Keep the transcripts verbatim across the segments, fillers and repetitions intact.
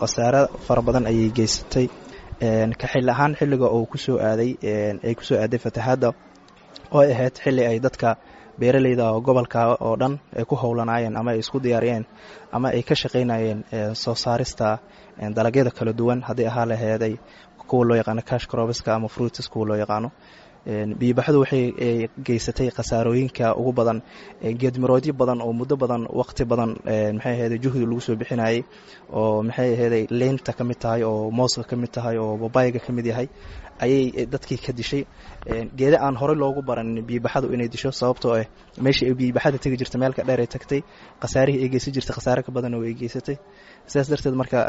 Khasaare fara badan ayay geysatay. Ka xilli ahaan, xilliga uu kusoo aaday ay kusoo aaday fatahaadda oo ay ahayd xilli ay dadka beeraleyda gobolka oo dhan ay ku howlanaayeen ama ay isku diyaariyeen ama ay ka shaqaynayeen soo saarista dalagyada kala duwan, haddii ahaa laheeday kuwa loo yaqaano cash crops-ka ama fruits kuwa loo yaqaano. Biyobaxdu waxay geysatay khasaarooyinka ugu badan, geedmiroodyo badan oo muddo badan, waqti badan, maxay ahayd, juhdi lagu soo bixinayay, oo maxay ahayd, leynta ka mid tahay, oo mooska ka mid tahay, oo babayga ka mid yahay, ayay dadkii ka dishay. Geeda aan horey loogu baran biyobaxadu inay disho, sababtoo ah meeshii ay biyobaxada tegi jirtay meelka dheer ay tagtay, khasaarihii ay geysan jirtay khasaare ka badan oo ay geysatay. Sidaas darteed marka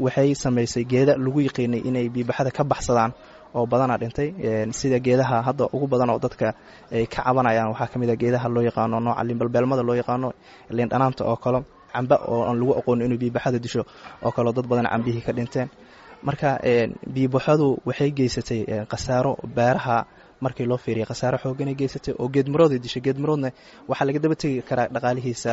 waxay samaysay geeda lagu yiqiinay inay biyobaxada ka baxsadaan oo badanaa dhintay, sida geedaha hadda ugu badan oo dadka ay ka cabanayaan. Waxaa ka mid a geedaha loo yaqaano nooca liinbalbeelmada loo yaqaano, liin dhanaanta oo kale, camba oo aan lagu aqoonin inuu biyobaxada disho oo kaleo dad badan cambihii ka dhinteen. Marka biyobaxadu waxay geysatay khasaaro beeraha markii loo fiiriya, khasaaro xooganay geysatay oo geedmirooday dishay. Geedmiroodna waxaa laga daba tegi karaa dhaqaalihiisa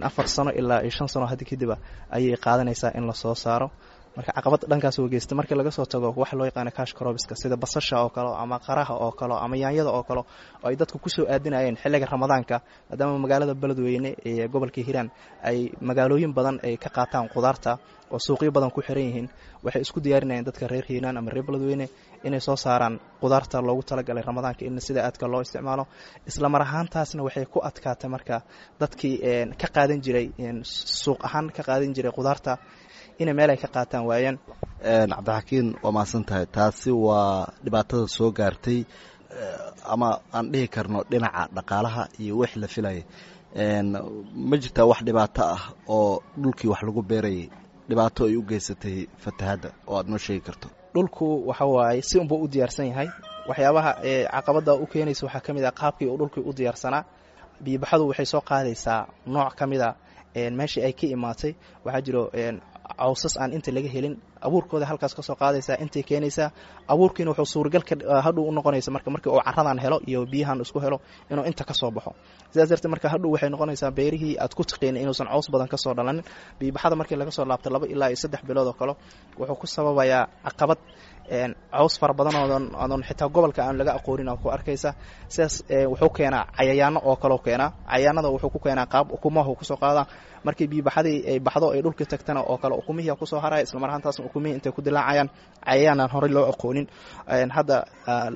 afar sano ilaa iyo shan sano hadda kadiba ayay qaadanaysaa in lasoo saaro. Marka caqabad dhankaas oo geystay, markii laga soo tago waxa loo yaqaano cash crops-ka, sida basasha oo kale ama qaraha oo kale ama yaanyada oo kale, oo ay dadku kusoo aadinayeen xilliga Ramadaanka, maadaama magaalada Beledweyne ee gobolka Hiiraan ay magaalooyin badan ay ka qaataan qudaarta oo suuqyo badan ku xiran yihiin, waxay isku diyaarinayeen dadka reer Hiiraan ama reer Beledweyne inay soo saaraan qudaarta loogu talagalay Ramadaanka in sida aadka loo isticmaalo. Isla mar ahaantaasna waxay ku adkaatay marka dadkii ka qaadan jiray suuq ahaan ka qaadan jiray qudaarta inay meel ay ka qaataan waayeen. Cabdixakiin, waa mahadsan tahay. Taasi waa dhibaatada soo gaartay ama aan dhihi karno dhinaca dhaqaalaha iyo wix la filayay. Ma jirtaa wax dhibaato ah oo dhulkii wax lagu beerayay dhibaato ay u geysatay fatahadda oo aad noo sheegi karto? Dhulku waxa waaye si unbuu u diyaarsan yahay. Waxyaabaha caqabadda u keenaysa waxaa ka mid ah qaabkii uu dhulkii u diyaarsanaa. Biyobaxadu waxay soo qaadaysaa nooc ka mid a meeshii ay ka imaatay. Waxaa jiro cawsas aan inta laga helin, abuurkooda halkaas ka soo qaadaysaa, intay keenaysaa. Abuurkiina wuxuu suuragal hadhow u noqonaysa marka markii uu caradan helo iyo biyahan isku helo inuu inta ka soo baxo. Sidaas darteed marka hadhow waxay noqonaysaa beerihii aad ku taqiinay inuusan caws badan ka soo dhalanin. Biyobaxada markii laga soo laabto laba ilaa iyo saddex bilood oo kale, wuxuu ku sababayaa caqabad, caws fara badan oodan oodon xitaa gobolka aan laga aqoonin oo ku arkaysa. Sidaas wuxuu keenaa cayayaano oo kaleu keenaa. Cayayaanada wuxuu ku keenaa qaab ukumahu kusoo qaadaa. Markii biyobaxadii ay baxdo ay dhulkii tagtana oo kale, ukumihii kusoo haraya. Isla mar ahaantaasna ukumihii intay ku dilaacayaan cayayaan aan horey loo aqoonin. Hadda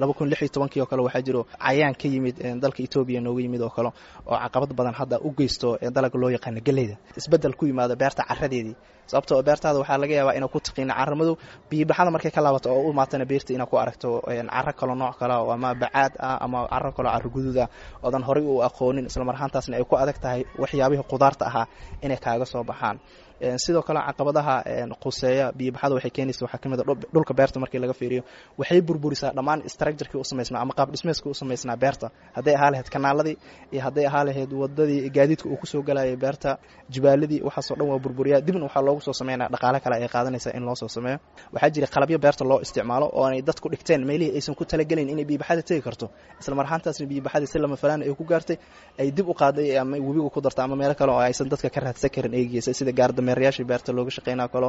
laba kun lix iyo tobankii oo kale waxaa jiro cayayaan ka yimid dalka Etoobiya nooga yimid oo kale oo caqabad badan hadda u geysto dalaga loo yaqaano geleyda. Isbeddel ku yimaado beerta caradeedii, sababtoo beertaada waxaa laga yaabaa inaa ku taqiina carro madow, biyobaxada markay ka laabato oo u imaatana beerta inaa ku aragto carro kaloo nooc kale oo ama bacaad ah ama carro kaloo carro guduud ah oodan horey u aqoonin. Isla mar ahaantaasna ay ku adag tahay waxyaabihii qudaarta ahaa inay kaaga soo baxaan. Sidoo kale caqabadaha quseeya biyobaxada waxay keenaysa waxaa ka mid a dhulka beerta markii laga fiiriyo, waxay burburisaa dhammaan structure-kii u samaysnaa ama qaab dhismeedkii u samaysnaa beerta, hadday ahaa lahayd kanaaladii iyo hadday ahaa lahayd wadadii gaadiidka uu kusoo galayay beerta, jibaaladii, waxaasoo dhan waa burburiyaa. Dibna waxaa loogu soo sameynaya dhaqaale kale ay qaadanaysaa in loo soo sameeyo. Waxaa jira qalabyo beerta loo isticmaalo oo aanay dadku dhigteen meelihii aysan ku talagelin inay biyobaxada tegi karto. Isla mar ahaantaasna biyobaxadii si lama falaan ay ku gaartay, ay dib u qaaday ama webiga ku dartay ama meelo kale oo aysan dadka ka raadsan karin ay geysay, sida gaardameerayaashii beerta looga shaqeynaa kalo.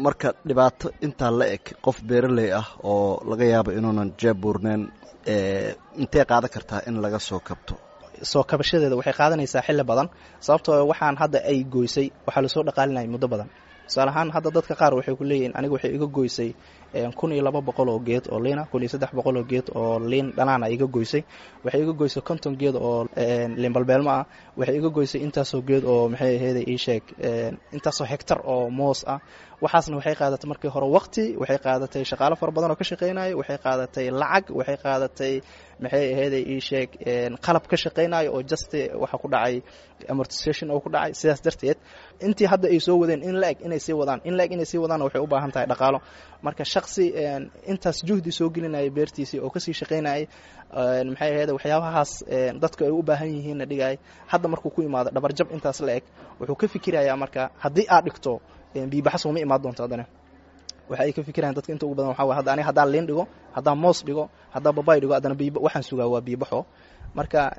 Marka dhibaato intaa la eg, qof beeraley ah oo laga yaabo inuunan jeeb buurneen, intee qaadan kartaa in laga soo kabto? Soo kabashadeeda waxay qaadanaysaa xilli badan, sababtoo waxaan hadda ay goysay waxaa lasoo dhaqaalinaya muddo badan. Tusaale ahaan, hadda dadka qaar waxay ku leeyihiin, aniga waxay iga goysay kun iyo laba boqol oo geed oo liina, kun iyo saddex boqol oo geed oo liin dhanaana iga goysay, waxay iga goysay konton geed oo liin balbeelmo ah, waxay iga goysay intaasoo geed oo, maxay aheyd, ii sheeg, intaasoo hectar oo moos ah. Waxaasna waxay qaadatay markii hore waqti, waxay qaadatay shaqaalo fara badan oo ka shaqeynayo, waxay qaadatay lacag, waxay qaadatay, maxay aheyd, ii sheeg, qalab ka shaqeynayo oo just waxa ku dhacay amortization oo ku dhacay. Sidaas darteed intii hadda ay soo wadeen in la eg inay sii wadaan in la eg inay sii wadaan waxay u baahan tahay dhaqaalo. Marka shaqsi intaas juhdi soo gelinaya beertiisii oo kasii shaqeynayay, maxay ahayd, waxyaabahaas dadku ay u baahan yihiinna dhigay, hadda markuu ku imaado dhabarjab intaas la eg, wuxuu ka fikirayaa marka haddii aad dhigto biibaxas uma imaan doonto. Haddana waxa ay ka fikirayaan dadka inta ugu badan waxa waye, hadda aniga haddaan liin dhigo, haddaan moos dhigo, haddaan babay dhigo, haddana biiba waxaan sugaa waa biibaxo. Marka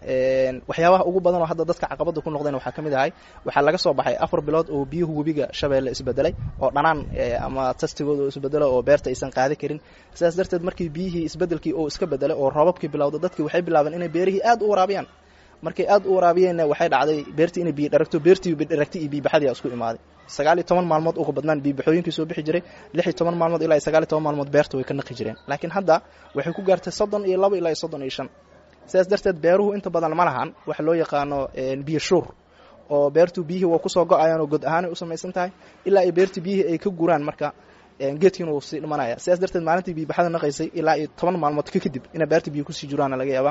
waxyaabaha ugu badan oo hadda dadka caqabada ku noqdeen waxaa ka mid ahay, waxaa laga soo baxay afar bilood oo biyuhu webiga Shabeelle isbedelay oo dhanaan ama tastigooda oo isbedelo oo beerta aysan qaadi karin. Sidaas darteed markii biyihii isbedelkii oo iska bedelay oo roobabkii bilowda, dadkii waxay bilaabeen inay beerihii aad u waraabiyaan. Markay aad u waraabiyeenna, waxay dhacday beertii inay biyo dharagto. Beertii dharagtay iyo biyobaxadii isku imaaday. Sagaal iyo toban maalmood uga badnaan biyobaxooyinkii soo bixi jiray, lix iyo toban maalmood ilaa iyo sagaal iyo toban maalmood beerta way ka naqi jireen, laakiin hadda waxay ku gaartay soddon iyo labo ilaa iyo soddon iyo shan. Sidaas darteed beeruhu inta badan ma lahan waxa loo yaqaano biyo shuur, oo beertu biyihii waa kusoo go-ayaan oo god ahaanay u samaysan tahay ilaa ay beertii biyihii ay ka guraan. Marka geedkiina wuu sii dhimanaya. Sidaas darteed maalintii biyobaxada naqaysay ilaa iyo toban maalmood ka kadib inay beerta biyo kusii jiraana laga yaabaa.